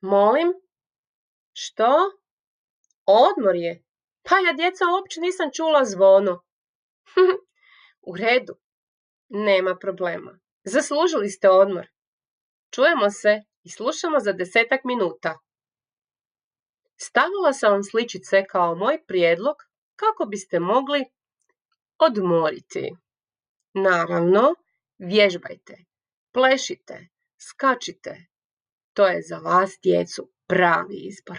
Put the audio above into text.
Molim? Što? Odmor je? Pa ja, djeca, uopće nisam čula zvono. U redu, nema problema. Zaslužili ste odmor. Čujemo se i slušamo za 10 minuta. Stavila sam vam sličice kao moj prijedlog kako biste mogli odmoriti. Naravno, vježbajte, plešite, skačite. To je za vas, djecu, pravi izbor.